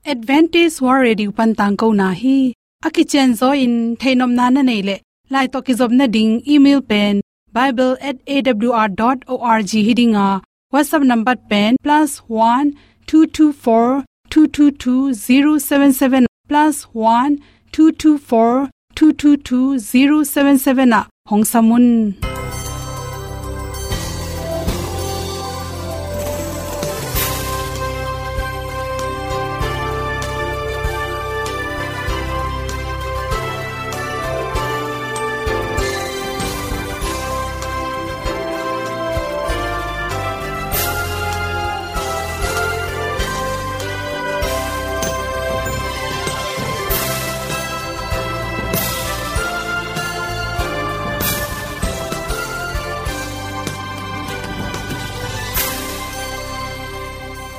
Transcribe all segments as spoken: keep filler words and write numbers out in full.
Adventist World Radio pan tangkona hi. A kicianzaw in theihnopna na neih leh, lai tawh kizopna ding email pen bible at A W R dot org hi ding a, WhatsApp number pen plus one two two four two two two zero seven seven, plus one two two four two two two zero seven seven ah hong sam un.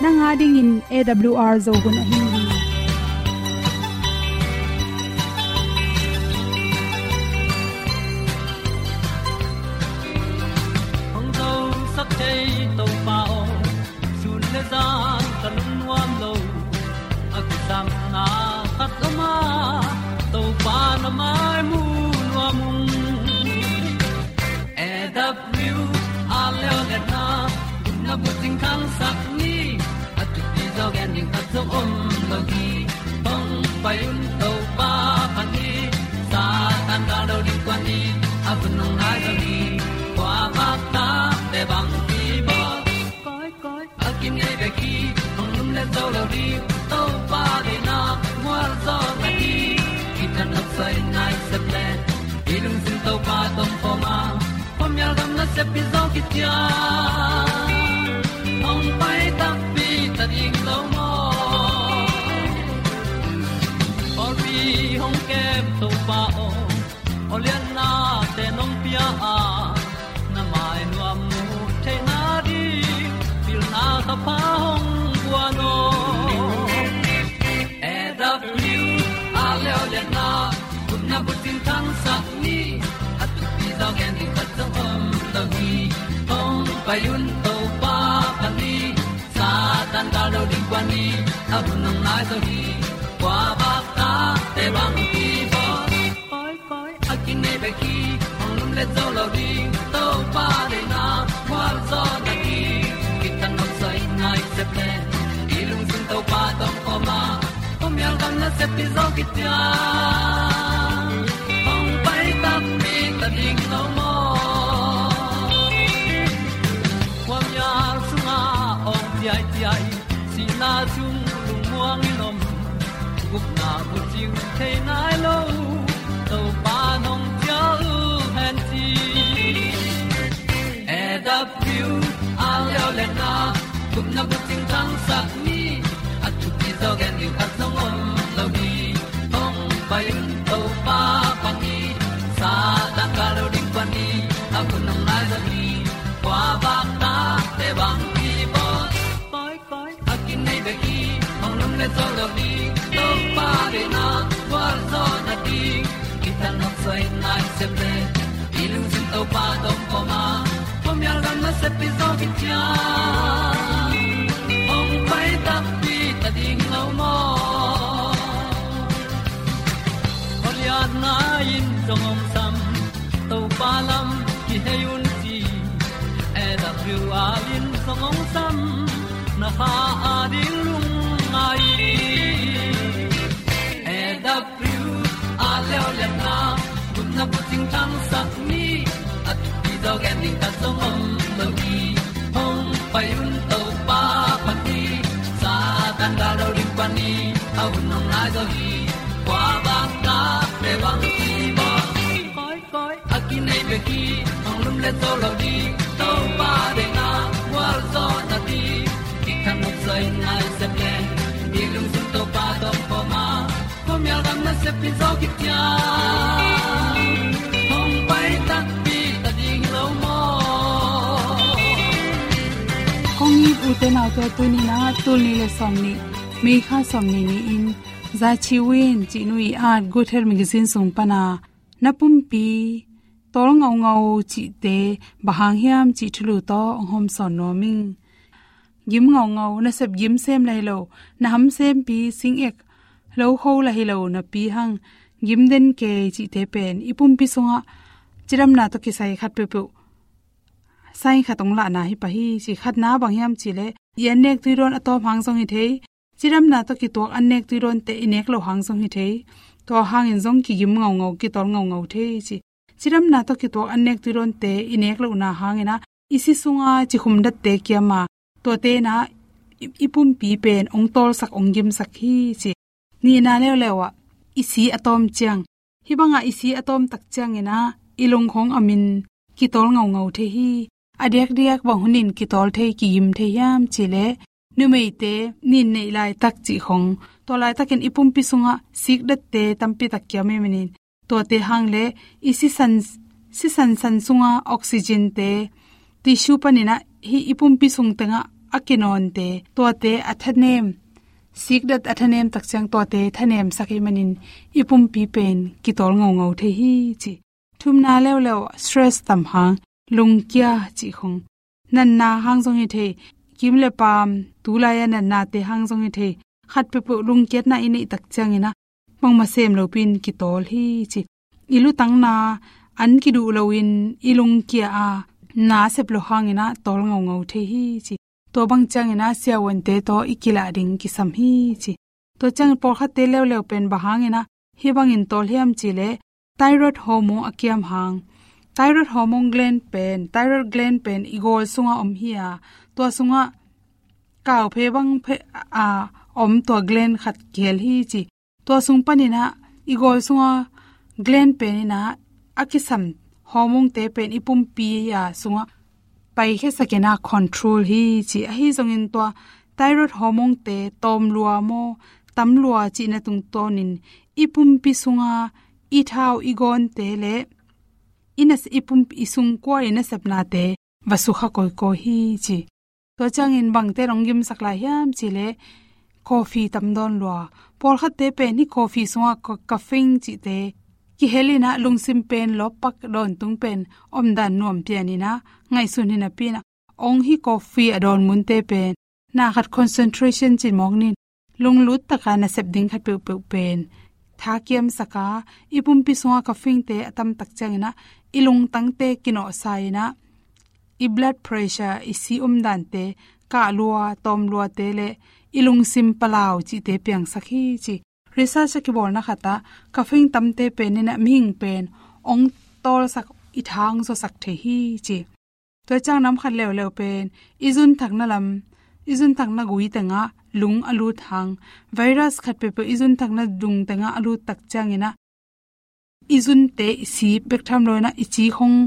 Nang a dingin A W R Zo hun ahi hi. Hong zosak thei Topa aw, sun le zan ka lungnuam lo. A kisapna khat om a, Topa na mai mu nuam ung. A W R leo le na, na bucing khangsak ni, a thupi zaw gen ding khat zong om lo hi. Hong pai un Topa phat ni, Satan gal lo ding kuan ni, a hun hong nai zaw ni, kua bak ta te bang ki bawl. Koi, koi, a kinei bek hi, hong lum le zo lo ding, Topa deihna mual zaw na hi. Kitang nok soi nai sep le, i lungsim Topa tawh om khawm a, khuamial gam nasep pi zaw kician, hong pai takpi ta ding lo maw? Pawlpi hong kem Topa aw, aw liannate nong pia a, na mai nuam mu theihna ding, pilna kha pha hong guan aw. A W R leo le na, gupna bucing khangsak ni, a thupi zaw gen ding khat zong om lo hi. Hong pai un Topa phat ni, Satan gal lo ding kuan ni, a hun hong nai zaw hi. Kua bak ta te bang ki bawl. Koi, koi, a kinei bek hi, hong lum le zo lo ding, Topa deihna mual zaw na hi. Kitang nok soi nai sep le, i lungsim Topa tawh om khawm a, khuamial gam nasep pi zaw kician, hong pai takpi ta ding lo maw? Khuamial sungah awng ciaiciai, sihna sung lungmuang in om, gupna bucing thei nai lo, Topa nong cial hen ci. A W R leo le na, gupna bucing khangsak ni, a thupi zaw gen ding khat zong om lo hi. Hong pai un Topa phat ni, Satan gal lo ding kuan ni, a hun hong nai zaw hi. Kua bak ta te bang ki bawl. Koi, koi, a kinei bek hi, hong lum le zo lo ding, Topa deihna mual zaw na ding. Kitang nok soi nai sep le, i lungsim Topa tawh om khawm a, khuamial gam nasep pi zaw kician, hong pai takpi ta ding lo maw? Goliath nai in zong hong sam, Topa lam kihei un ci. A W R in zong hong sam, na kha a ding lungngai. A W R leo le na, gupna bucing khangsak ni, a thupi zaw gen ding khat zong om lo hi. Hong pai un Topa phat ni, Satan gal lo ding kuan ni, a hun hong nai zaw hi. Kua bak ta te bang ki bawl. Koi, koi, a kinei bek hi, hong lum le zo lo ding, Topa deihna mual zaw na ding. Kitang nok soi nai sep le, i lungsim Topa tawh om khawm a, khuamial gam nasep pi zaw kician, hong pai takpi ta ding lo maw? Kong it u te nau te, tuni in ah tul nih le sawmnih, May kha sawmnih ni-in, Za Chi Win cih nu ii at Good Health Magazine sung pan a, na pumpi tawl ngaungau cihte bang hang hiam cih thulu tawh hong hawmsawn nuam ing. gim ngaungau, nasep gim sem la hi lo, na ham sempi sing ek, lo kho la hi lo napi hang gim den kei cihte pen i pumpi sungah cidamna tawh kisai khat peuhpeuh sign khat hong lahna hi pah hi ci. Khatna bang hiam cih leh i annek tuidawn a tawm hang zong hi thei, cidamna tawh kituak annek tuidawnte i nek loh hang zong hi thei, tua hangin zong kigim ngaungau, kitawl ngaungau thei ci. Cidamna tawh kituak annek tuidawnte i nek lohna hangin ah i si sunga cikhum datte kiam a, tuate in ah i, i pumpi pen hong tawlsak, hong gimsak hi ci. Nihna leuleu ah i si a tawm ciang, hih bangah i si a tawm tak ciangin ah i lung khong a min kitawl ngaungau thei hi. A diakdiak bang hunin kitawl thei, kigim thei hiam cih leh, numeite nin neih laitak cih khong, tua laitakin i pumpi sungah sikdatte tampi tak kiam ahih manin, tuate hang leh i sisan, sisan san sunga oxygen-te, tissue panin ah hih i pumpi sung tengah a kinawnte, tuate a thanem, sikdat a thanem tak ciang tuate thanemsak ahih manin i pumpi pen kitawl ngaungau thei hi ci. Thumna leuleu, stress tam hang, lungkia cih khong, natna hang zong hi thei, kim le paam, tulai a natnate hang zong hi thei, khat peuhpeuh lungkiatna i neih tak ciangin ah bangmah sem lopi-in kitawl hi ci. I lutangna an kiduh loin i lungkia a, na sep loh hangin ah tawl ngaungau thei hi ci. Tua bang ciangin ah siavuante tawh i kilah ding kisam hi ci. Tua ciangin pawlkhatte leuleu pen bang hangin ah hih bangin tawl hiam cih leh, thyroid hormone a kiam hang. Thyroid hormone gland pen, thyroid gland pen i gawl sungah om hi a, tua sungah kauphe bang phe a om tua gland khat kihel hi ci. Tua sung panin ah i gawl sunga gland pen in ah a kisam hormone-te pen i pumpi a sungah paikhiasakin ah control hi ci. Ahi zongin tua thyroid hormone-te tawm lua maw, tam lua cihna tungtawnin i pumpi sunga i thau, i gawnte le i nas-, i pumpi, i sungkua i nasepnate va sukha kawikawi hi ci. Tua ciangin bangte hong gimsak lai hiam cih leh, coffee tam dawn lua. Pawlkhatte pen hih coffee sungah ca-, caffeine cihte kihel in ah lungsim pen lawppak, dawntung pen omdan nuam pian in ah ngaihsun hi napi-in ah, hong hih coffee a dawn munte pen na khat concentration cih mawk ni-in, lunglut taka nasep ding khat peuhpeuh pen thakiamsak a, i pumpi sunga caffeine-te a tam tak ciangin ah i lungtangte kinawhsa in ah i blood pressure, i si omdante kah lua, tawm luate le i lungsim palau cihte piangsak hi ci. Research a kibawlna khatah caffeine tamte pen in ah mihing pen hong tawlsak, i tha hong zuasak thei hi ci. Tua ciang nam khat leuleu pen i zunthakna lam, i zunthakna gui tengah lung a lut hang, virus khat peuhpeuh i zunthakna dung tengah a lut tak ciangin ah i zunte i si bek tham lo in ah i ci khong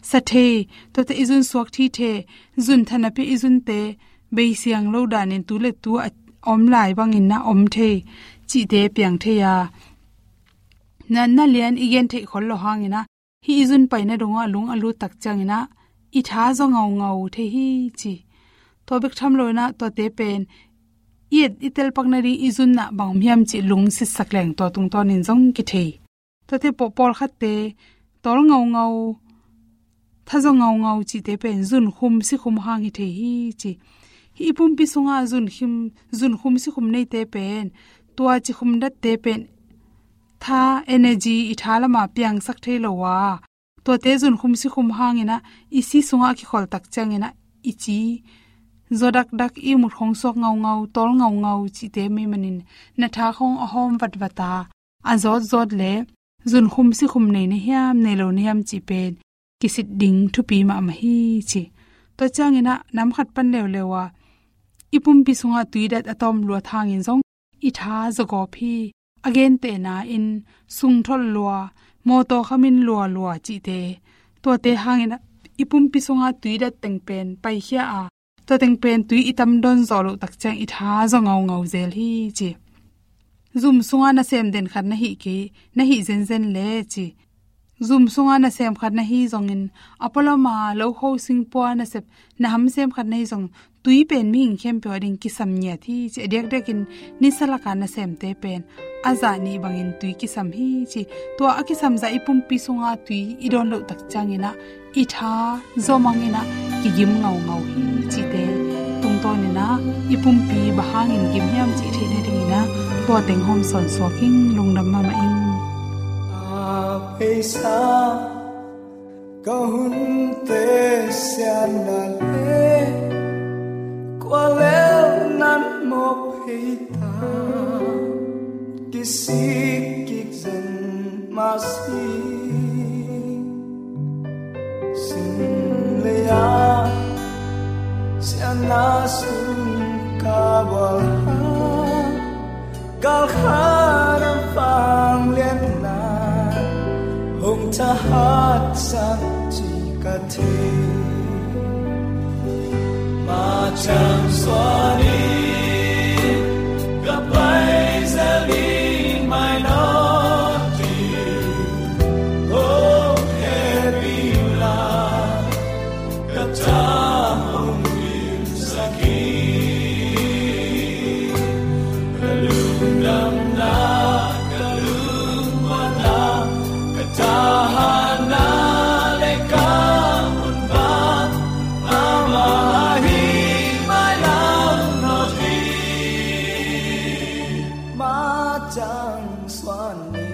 sa thei, tuate i zun suak thei thei, zun tha napi i zunte beisiang lo danin tu le tu a om lai bangin ah om thei cihte piang thei a, na, na lian i gen theih khol loh hangin ah hih i zun paina dongah lung a lut tak ciangin ah i tha zaw ngaungau thei hi ci. Tua bek tham lo in ah tuate pen i et i telpak nading i zun ah bang om hiam cih lung sitsak leng tua tungtawnin zong kithei. Tuate paw-, pawlkhatte tawl ngaungau, tha zaw ngaungau cihte pen zunkhum sikhum hang hi thei hi ci. Hih i pumpi sungah zunkhim, zunkhum sikhum neite pen, tua cikhum datte pen tha, energy, i tha lamah piangsak thei lo a, tuate zunkhum sikhum hangin ah i si sungah a kikhol tak ciangin ah i ci zaw dakdak, i mut khong suak ngaungau, tawl ngaungau cihte mei manin na tha khong a hawm vatvat a, a zawtzawt le zunkhum sikhum nei na hiam, nei lo na hiam cih pen kisit ding thupi mahmah hi ci. Tua ciangin ah nam khat pan leuleu a, i pumpi sungah tuidat a tawm luat hangin zong i tha zaw gawp hi. A gentehna in sungtholh lua, mawtaw khamin lualua cihte, tuate hangin ah i pumpi sungah tuidat teng pen paikhia a, tua teng pen tui i tam dawn zawh loh tak ciang i tha zaw ngaungau zel hi ci. Zum sunga nasem den khat na hih kei, na hih zenzen le ci. Zum sunga nasem khat na hi zongin, a pualama lo kho singpua nasep, na hamsem khat na hi zong, tui pen mihing khempeuh a ding kisam ngiat hi ci. A diakdiakin nisa laka nasemte pen a zah nih bangin tui kisam hi ci. Tua a kisam zah i pumpi sunga tui i dawn loh tak ciangin ah i tha zaw mangin ah kigim ngaungau hi cihte tungtawnin ah I pumpi bang hangin gim hiam cih theih nadingin ah tua teng hong sawnsuk ing. Lungdam mahmah ing. A pheisa ka hunte sianna le kua lel nan mawk phei ta, kisik kik zen mah si. Sin lei-a sianna sung ka bual a, galkhat a vangliatna hong thahatsak cih ka thei. Mah ciang suan in ka pai zel ding mai nawn ding, hong hehpih in la, ka tha hong dimsak hi. Ka lungdamna, ka lungmuanna, ka thahatna le ka hunpa, amah ahi mailam nawn ding. Mah ciang suan ni.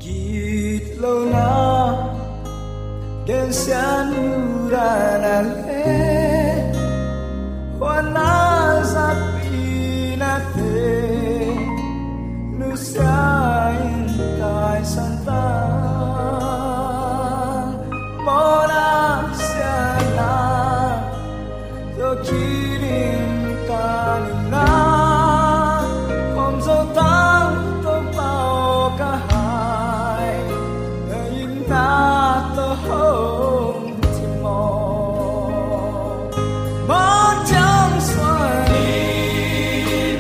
Gitlona gensiatna le huatna zatpinate nusia in taisan ta. Mawhna siatna tawh kidim ka nunna, hong zo tang Topa aw ka hai, na itna tawh hong cimawh. Mah ciang suan in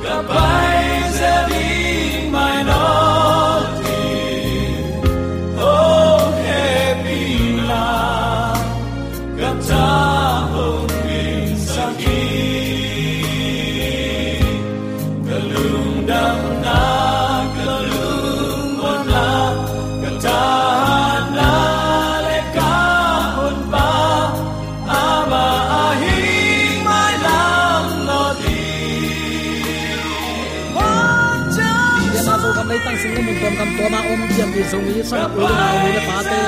ka pai zel ding mai nawn ding, hong hehpih in la, ka tha hong dimsak hi. Ka lungdamna, ka lungmuanna, ka thahatna le ka hunpa, amah ahi mailam nawn ding. Mah ciang suan. Myanmar Zogam leitang sung le mun tuamtuam ah om pianpih Zomi, Sangap, u le nau, nu le pate,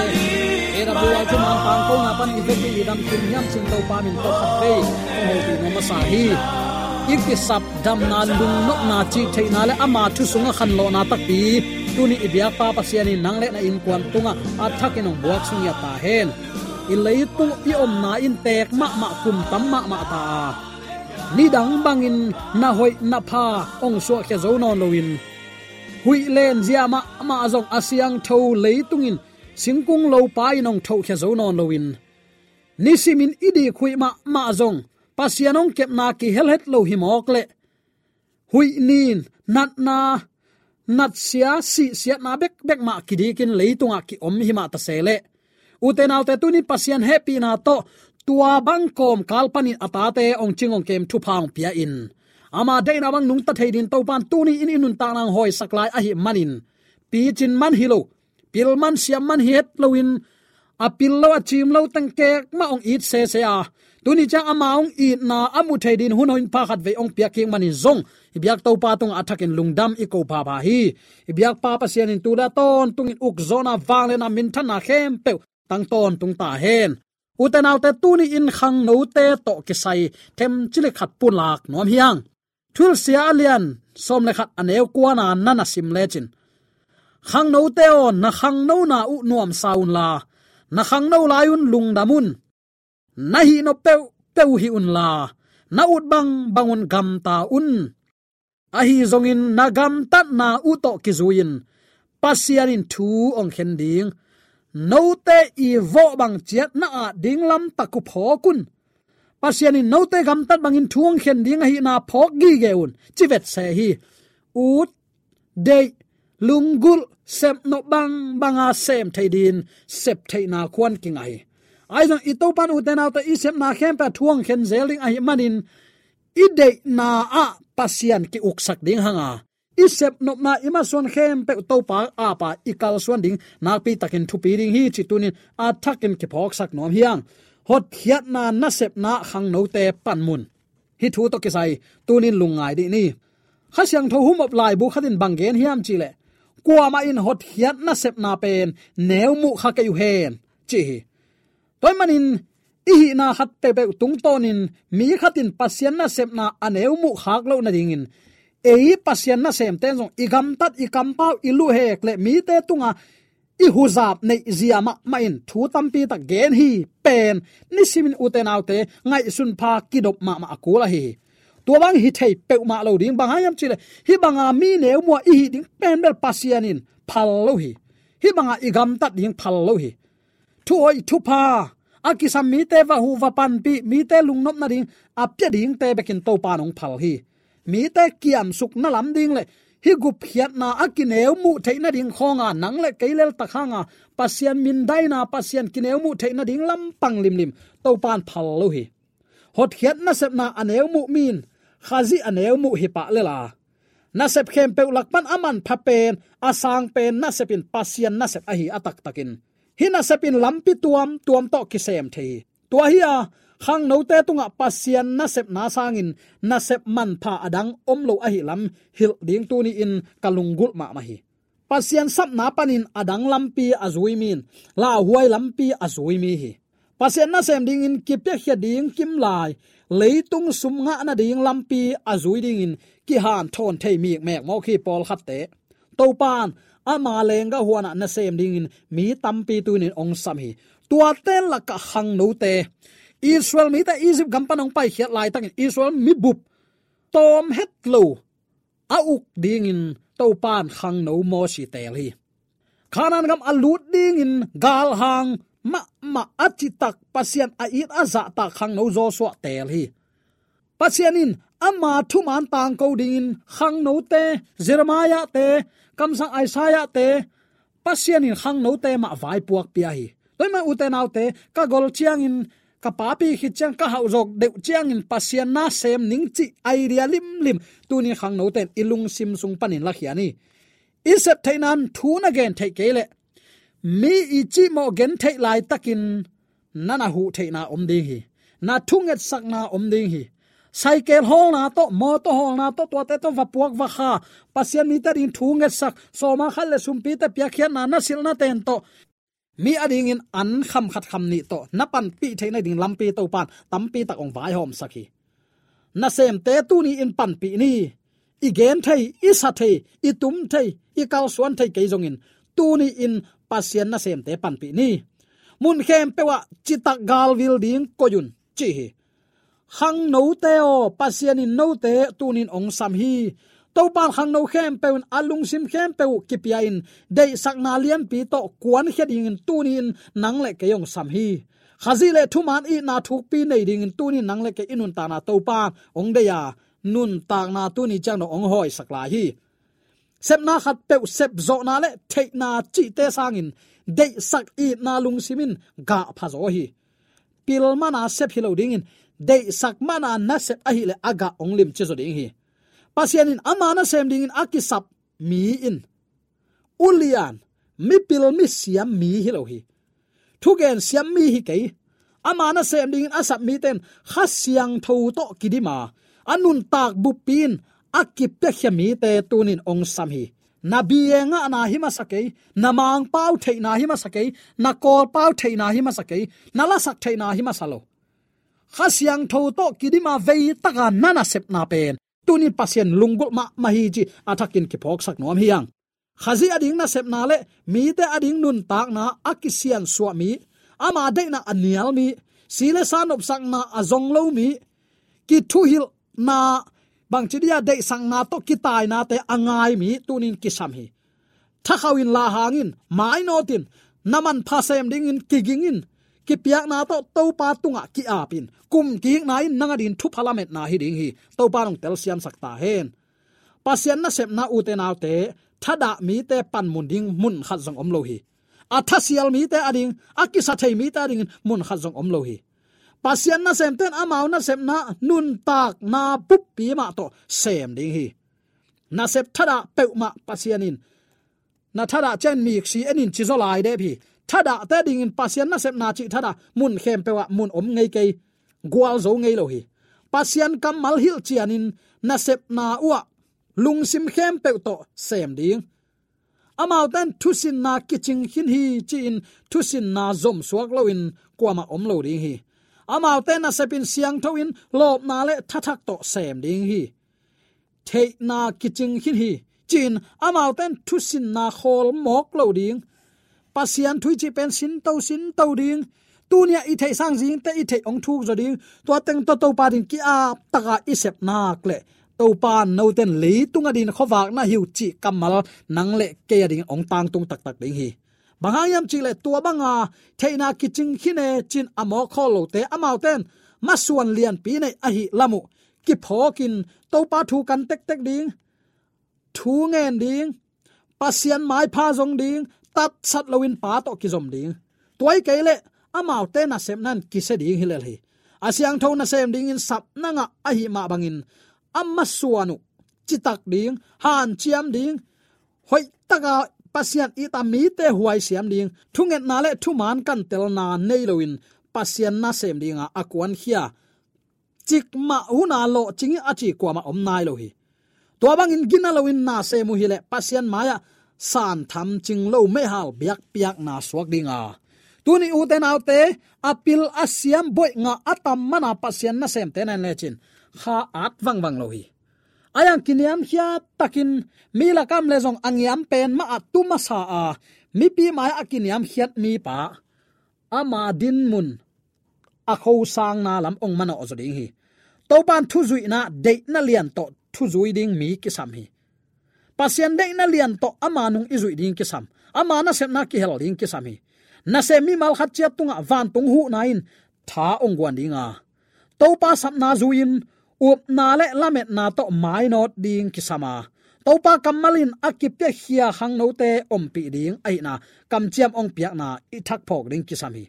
A W R Thuman Pangkona pan i vekpi i damkim hiam cih Topa min tawh khat vei hong hopih nuam masa hi. I kisap damna, lungnopna, cihtheihna le ama thu sungah khanlawhna takpi tuni i biakpa Pasian in nang le na innkuan tungah a thakin hong buak sung ngiat ta hen. I leitung i omna in teek mahmah, kum tam mahmah ta a, nidang bangin na hoih na pha hong suahkhia zo nawn loin, huih len zia mahmah zong a siangtho leitung in singkung lopa in hong thohkhia zo nawn loin, nisimin i dik huih mahmah zong Pasian hong kepna kihel het lo hi mawk leh, huih nin natna, natsia, sihsiatna bekbek mah kidikin leitungah kiom hi mah ta se leh, ute naute, tuni Pasian hehpihna tawh tua bang kawmkal panin a tate hong cing hong kem thupha hong pia in, ama deihna bang nungta thei dingin Topa in tuni in i nuntakna hong hawisak lai ahih manin, picin man hi lo, pil man siam man hi het loin, a pil lo a ciim lo teng kek mah hong it sese a, tuni ciang ama hong itna a mu thei dingin hun hoih pha khat vei hong piak kik manin zong i biak Topa tungah a thakin lungdam i ko phapha hi. I biakpa Pasian in tu le a tawntungin ukzawhna, vangliatna, minthanna khempeuh tang tawntung ta hen. Ute naute, tuni in khangnote tawh kisai themcik khat pulak nuam hi hang. Thuhilhsia a lian sawm le khat, a neu kuana na na sim lecin, khangnote aw, na khangnona uh nuamsa unla, na khangno lai un lungdam un. Na hih nop peuhpeuh hih unla, na ut bangbang un gamta un. Ahi zongin na gamtatna uh tawh kizui-in Pasian in thu hong khen ding. Note i vawh bang ciat na at ding lamtak uh phawk un. Pasian in note gamtat bangin thu hong khen ding ahihna phawk gige un, ci vetse hi. Ut, deih, lunggulh, sepnop bangbanga sem thei dingin sep theihna khuan kingah hi. Ahi zong i Topan, ute naute, i sepna khempeuh a thu hong khen zel ding ahih manin i deihna ah Pasian ki-uksak ding hanga, i sepnopna i masuan khempeuh Topa apa i kalsuan ding nakpi takin thupi ding hi, ci tunin a thakin kiphawksak nuam hi hang. Hotkhiatna nasepna khangnote panmun. Hih thu tawh kisai tunin lungngai dih ni. Kha Siangtho humop laibu khatin bang gen hiam cihleh, kuamah in hotkhiat nasepna pen neu muh kha kei uh hen, ci hi. Tua ahih manin i hihna khat peuhpeuh tungtawnin mi khatin Pasian nasepna a neu muh khak loh nadingin, ei Pasian nasemte zong i gamtat, i kampau, i luhhek le mite tunga i huzap neih zia mahmah in thu tampi tak gen hi pen nisimin, ute naute, ngaihsun pha kidop mahmah a kul ahi hi. Tua bang hi thei peuhmah lo ding, bang hang hiam cihleh, hih banga mi neu muh a i hih ding pen bel Pasian in phal lo hi. Hih banga i gamtat ding phal lo hi. Thu hoih, thu pha, a kisam mite va huh va panpih, mite lungnop nading a pia dingte bekin Topa in hong phal hi. Mite kiamsukna lam ding le hih gupkhiatna a kineu muh theih nading khawnga nang le kei leltak hanga Pasian mindaina, Pasian kineu muh theih nading lampang limlim Topa in phal lo hi. Hotkhiat nasepna a neu muh mi in Khazih a neu muh hi pah lel a, nasep khempeuh lak pan a manpha pen, a sang pen nasep in Pasian nasep ahi a taktakin, hih nasep in lampi tuamtuam tawh kisem thei hi. Tua hi a, khangnote tungah Pasian nasepna sangin nasep manpha a dang om lo ahih lam hilh ding tuni-in ka lunggulh mahmah hi. Pasian sapna panin a dang lampi a zui mi in lauhuai lampi a zui mi hi. Pasian nasem dingin kipiakhia ding kimlai, leitung sum ngah nading lampi a zui dingin kihanthawn thei mikmek mawk hi pawlkhatte. Topa in ama lenggah huanah nasem dingin mi tampi tunin hong sam hi. Tuate lakah khangnote, Israel mite Egypt gam pan hong paikhiat laitakin Israel mibup tawm het lo a uk dingin Topa in khangno Mosi teel hi. Kanaan gam a lut dingin galhang mahmah a citak, Pasian a it a zahtak khangno Joshua teel hi. Pasian in ama thuman tangko dingin khangnote, Jeremiah-te, kamsang Isaiah-te, Pasian in khangnote mah vaipuak pia hi. Tua ahih manin ute naute, ka gol ciangin, ka papi khit ciang, ka hauh zawk deuh ciangin Pasian nasem ning cih idea limlim tunin khangnote in i lungsim sung panin lakhia ni. I sep theihna in thu na gen theih kei leh, mi i cihmawh gen theih laitakin na na huh theihna om ding hi. Na thungetsakna om ding hi. Saikel hawlna tawh, mawtaw hawlna tawh, tuate tawh va puak va kha, Pasian mite ading thu ngetsak, sawma khat le sumpite piakkhiatna na silhna ten tawh, mi adingin an kham khat kham nih tawh na panpih theih nading lampi Topa in tampi tak hong vaihawmsak hi. Nasemte tuni-in panpih ni. I gen thei, i sa thei, i tum thei, i kalsuan thei kei zongin, tuni-in Pasian nasemte panpih ni. Mun khempeuh ah citak galvil ding koih un, ci hi. Khangnote aw, Pasian in note tunin hong sam hi. Topa in khangno khempeuh in a lungsim khempeuh uh kipia-in, deihsakna lianpi tawh kuankhia dingin tuni-in nang le kei hong sam hi. Khazih le thuman itna thukpi nei dingin tuni-in nang le kei i nuntakna Topa in hong deih a, nuntakna tuni ciang dong hong hawisak lai hi. Sepna khat peuh, sepzawhna le theihna cihte sangin deihsak itna lungsim in gah phazaw hi. Pil mana sep hi lo dingin, deihsak mana na sep ahih leh a gah hong limci zaw ding hi. Pasian in ama nasem dingin a kisap mi in ulian, mipil, misiam mi hi lo hi. Thugen siam mi hi kei. Ama nasem dingin a sap mite in Kha Siangtho tawh kidim a, a nuntak buppi in a kipiakhia mite tunin hong sam hi. Na bia ngahna hi masa kei, na Mangpau theihna hi masa kei, na Kawlpau theihna hi masa kei, na lasak theihna hi masa lo. Kha Siangtho tawh kidim a veitaka na nasepna pen tunin Pasian lunggulh mahmah hi cih a thakin kiphawksak nuam hi hang. Khazih ading nasepna le mite ading nuntakna a kisiansuah mi, ama deihna a nial mi, si le sa nopsakna a zong lo mi, kithuhilhna, bangci dia deihsakna tawh kitainate a ngai mi tunin kisam hi. Thakhauh in, lahang in, mainawt in, na manpha sem dingin kiging in, kipiakna tawh Topa tungah ki-ap in, kum kihikna in nang adingin thupha lametna hi ding hi. Topa in hong telsiamsak ta hen. Pasian nasepna, ute naute, thadah mite panmun ding mun khat zong om lo hi. a thasial mite ading, a kisa thei mite adingin mun khat zong om lo hi. Pasian nasemte in amau nasepna nuntakna buppi mah tawh sem ding hi. Nasep thadah peuhmah Pasian in na thadah ciangin miksi enin ci zaw lai dep hi. Thadahte dingin Pasian nasepna cih thadah mun khempeuh ah mun om ngei kei. Gualzo ngei lo hi. Pasian kammal hilh cianin nasepna uh ah lungsim khempeuh tawh sem ding. Amaute in thusinna kicing khin hi ci-in thusinna zomsuak loin kuamah om lo ding hi. Amaute nasep in siangtho in lawpna le thathak tawh sem ding hi. Theihna kicing khin hi ci-in amaute in thusinna khawl mawk lo ding. Pasian thu i cih pen sinto sinto ding. Tuni-ah i theih sang zingte i theih hong thuk zaw ding. Tua teng tawh Topa ding ki-ap taka i sep nak leh Topa in note in leitung adingin khuavak na hi uh cih kammal nang le kei adingin hong tangtung taktak ding hi. Bang hang hiam cih leh tua banga theihna kicing khin e ci-in a mawk khawl lote amaute in masuan lianpi nei ahih lam uh kiphawkin Topa thu kan tektek ding, thu ngen ding, Pasian maipha zong ding, tatsat loin Pa tawh kizom ding. Tua hi kei leh amaute nasepna in kisia ding hi lel hi. A siangtho nasem dingin sapna ngah ahih mah bangin a masuan uh citak ding, hanciam ding, hoihtaka Pasian it a mite huaisiam ding, thungetna le thuman kantelna nei loin Pasian nasem dinga a kuankhia cikmah huna lawhcing hi a ci kuamah om nai lo hi. Tua bangin gina loin nasem uh hileh Pasian mai-ah san thamcing lo meihal biakpiakna suak dinga, tuni ute naute a pil a siam boih ngah a tam mana Pasian nasemte na en lecin kha at vangvang lo hi. A yang kiniamkhiat takin mi lakam le zong a ngiam pen mah a tu masa a mipi mai-ah a kiniamkhiat mipa ama dinmun a khosangna lam hong manawh zaw ding hi. Topa in thuzuihna deihna lian tawh thuzui ding mi kisam hi. Pasian deihna lian tawh ama nung i zuih ding kisam. Ama nasepna kihel ding kisam hi. Nasem mimal khat ciat tungah vantung huhna in tha hong guan dinga, Topa sapna zui-in upna le lametna tawh mainawt ding kisam a, Topa kammal in a kipiakhia khangnote ompih ding ahihna kamciam hong piakna i thakphawk ding kisam hi.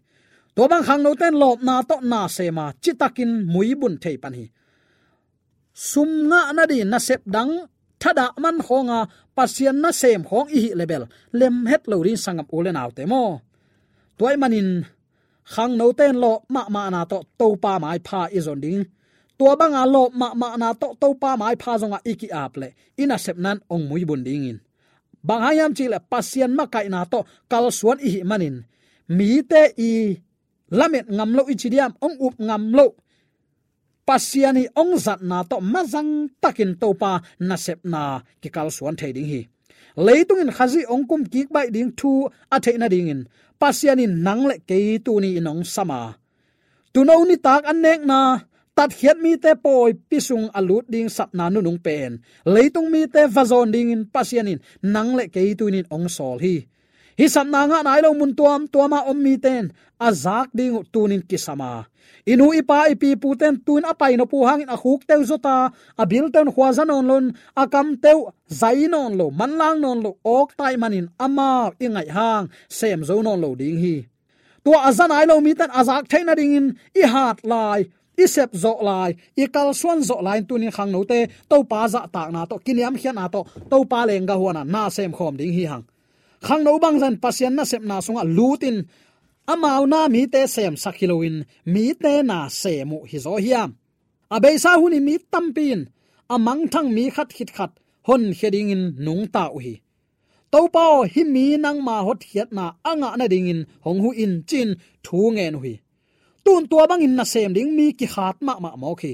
Tua bang khangnote in lawpna tawh nasem a, citakin muibun thei pan hi. Sum ngah nading nasep dang thadah man khawnga Pasian nasem khawng i hih le bel lem het lo ding sanggam u le naute maw. Tua ahih manin khangnote in lawp mahmahna tawh Topa maipha i zon ding. Tua banga lawp mahmahna tawh Topa maipha zongah i ki-ap leh i nasepna in hong muibun dingin, bang hang hiam cih leh Pasian makaihna tawh kalsuan i hih manin mite i lamet ngam loh i ci diam, hong up ngam loh Pasian i hong zatna tawh mazang takin Topa nasepna kikalsuan thei ding hi. Leitung in Khazih hong kumkik baih ding thu a theih nadingin Pasian in nang le kei tuni in hong sam a, tuuno nitak an nekna tatkhiat mite pawipi sung a lut ding sapna nunung pen leitung mite va zawn dingin Pasian in nang le kei tuni in hong sawl hi. Hih sapna ngah nai lo mun tuamtuama om mite in a zak ding uh tunin kisam a, i nu i pa i pi pute in tuin a pai nop uh hangin a khukte uh zota, a bilte un khuaza nawn loin, a kamte uh zai nawn lo, manlang nawn lo awk ta ahih manin amau i ngaih hang sem zo nawn lo ding hi. Tua a za nai lo mite in a zak theih nadingin i hat lai, i sep zawh lai, i kalsuan zawh lai in tunin khangnote Topa zahtakna tawh, kiniamkhiatna tawh Topa leenggah huan a na sem khawm ding hi hang. Khangno bangzah in Pasian nasepna sungah lutin amau na mite semsak hi loin mite na sem uh hi zaw hiam? A beisa hun in mi tampi in a mangthang mi khat khit khat honkhia dingin nungta uh hi. Topa aw, hih mi nangma hotkhiatna a ngah nadingin hong huh in, ci-in thu ngen uh hi. Tun tua bangin nasem ding mi kikhat mahmah mawk hi.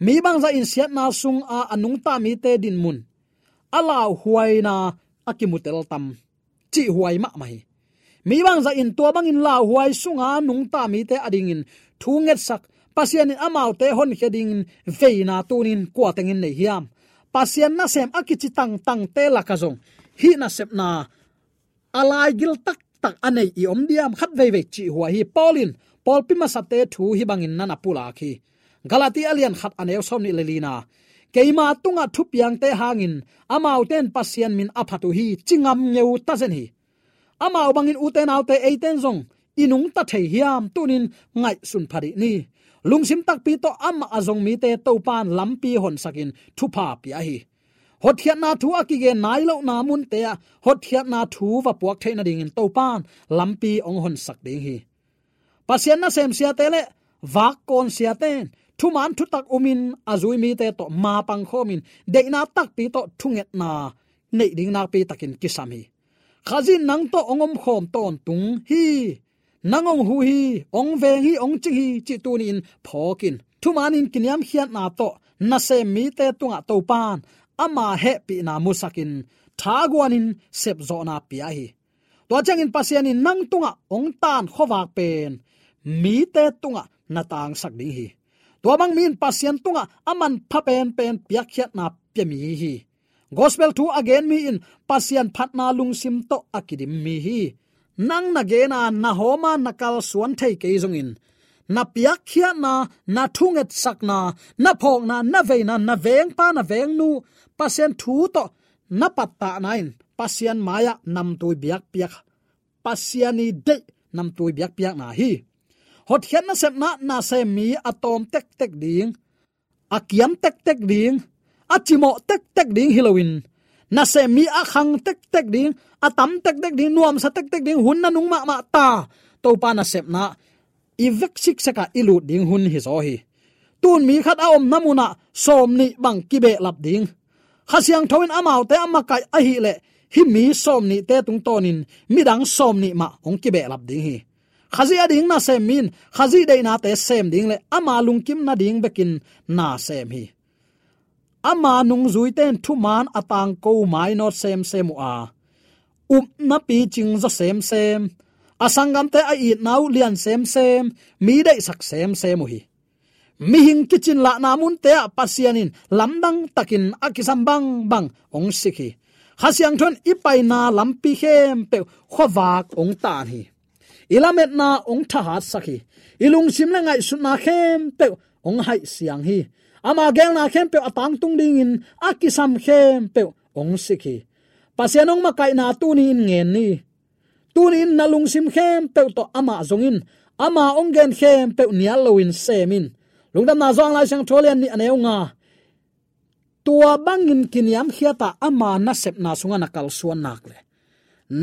Mi bangzah in siatna sunga a nungta mite dinmun a lauhuaina a kimutel tam? Cihhuai mahmah hi. Mi bangzah in tua bangin lauhuai sunga nungta mite adingin thu ngetsak, Pasian in amaute honkhia dingin veina tunin kua tengin nei hiam? Pasian nasem a kici tangtangte lakah zong hih nasepna a laigil taktak a nei i om diam? Khat veivei cihhuai hi. Paul in pawlpi masate thu hih bangin na na pulak hi. Galati a lian khat a neu sawm nih le lina, keima tungah thupiangte hangin amaute in Pasian min a phat uh hi, ci ngam ngeu tazen hi. Amau bangin ute naute eiten zong i nungta thei hiam, tunin ngaihsun pha dih ni. Lungsim takpi tawh amah a zong mite Topan lampi honsakin thupha pia hi. Hotkhiatna thu a kigen nai lohna munte ah hotkhiatna thu va puak theih nadingin Topan lampi hong honsak ding hi. Pasian nasem siate le vakkawn siate in thuman thutak umin a zui mite tawh mapang khawmin deihna takpi tawh thungetna neih ding nakpi takin kisam hi. Khazih in nang tawh hong omkhawm tawntung hi. Nang hong huh hi, hong veng hi, hong cing hi cih tuni-in phawk in. Thumanin kiniamkhiatna tawh nasem mite tungah Topan ama hehpihna musakin thaguanin sepzawhna pia hi. Tua ciangin Pasian in nang tungah hong taan khuavak pen mite tungah na tangsak ding hi. Tua bang mi in Pasian tungah a manpha penpen piakkhiatna pia mi hi. Gospel thu a gen mi in Pasian phatna lungsim tawh a kidim mi hi. Nang na gen a, na hawm a, na kalsuan thei kei zongin na piakkhiatna, na thungetsakna, na phawkna, na veina, na vengpa, na vengnu Pasian thu tawh na pattahna in Pasian mai-ah namtui biakpiak, Pasian i deih namtui biakpiakna hi. Hotkhiat nasepna nasem mi a tawm tektek ding, a kiam tektek ding, a cimawh tektek ding hi loin, nasem mi a khang tektek ding, a tam tektek ding, nuamsa tektek ding, hun nanung mahmah ta Topa nasepna i vek siksekah i lut ding hun hi zaw hi. Tun mi khat a omna munah sawmnih bang kibehlap ding. Kha Siangtho in amaute a makaih ahih leh hih mi sawmnihte tungtawnin midang sawmnih mah hong kibehlap ding hi. Khazih a ding nasem mi in Khazih deihnate sem ding le ama lungkim nading bekin nasem hi. Ama nungzuite in thuman a tangko mainawt semsem uh a, upna picing zaw semsem, a sanggamte a itna uh lian semsem, mi deihsak semsem uh hi. Mihing kicinlahna munte ah Pasian in lamdang takin a kisam bangbang hong sik hi. Kha Siangtho in i paina lampi khempeuh khuavak hong taan hi. I lametna hong thahatsak hi. I lungsim le ngaihsutna khempeuh hong haihsiang hi. Ama geelna khempeuh a tangtung dingin a kisam khempeuh hong sik hi. Pasian hong makaihna tuni-in ngen ni. Tuni-in na lungsim khempeuh tawh amah zong in, ama hong gen khempeuh nial loin sem in. Lungdamna Johan Lai Siangtho lian nih a neu nga. Tua bangin kiniamkhiat a ama nasepna sungah na kalsuan nak le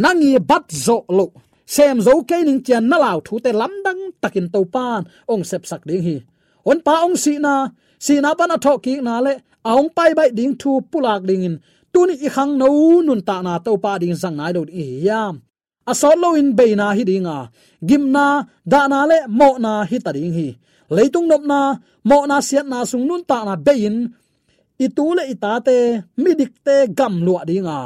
nang i bat zawh loh, sem zo kei ning ci-a na lau thute lamdang takin Topan hong sepsak ding hi. Honpa hong sihna, sihna pan a thawhkikna le a hong paibaih ding thu pulak dingin tuni i khangno nuntakna Topa ding zang nai lo ding hi hiam? A sawt loin beina hi ding a, gimna, dahna le mawhna hi ta ding hi. Leitung nopna, mawhna, siatna sung nuntakna bei-in i tu le i tate, midikte gamluah ding a,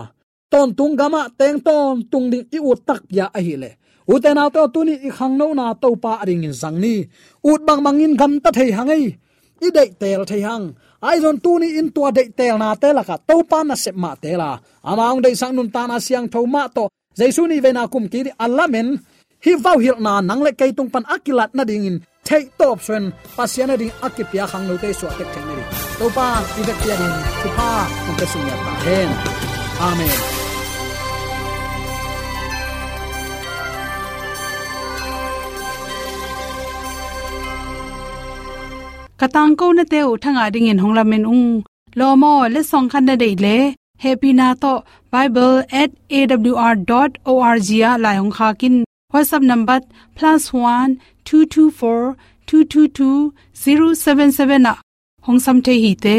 tawntung gamah teng tawntung ding i ut takpi a ahih leh, ute naute aw, tuni i khangnona Topa a dingin zang ni. Ut bangbangin gamta thei hang ei. I deihteel thei hang. Ahi zong tuni in tua deihtelnate lakah Topa nasep mah teel a, ama hong deihsak nuntakna siangtho mah tawh Jesu nihveina kum kik ding a lamen, hih vauhilhna nang le kei tung pan a kilat nadingin theihtawp suahin Pasian a ding a kipia khangnote suah tek theih nading Topa i vekpi a ding thupha hong pia sung ngiat ta hen. Amen. Ka tangkonate uh thangah dingin hong lamen ung. Lawm aw, letsong khat na deih leh, hehpihna tawh bible at A W R dot O R G ah lai hong khak in. WhatsApp number plus one two two four two two two zero seven seven ah hong sam thei hi te.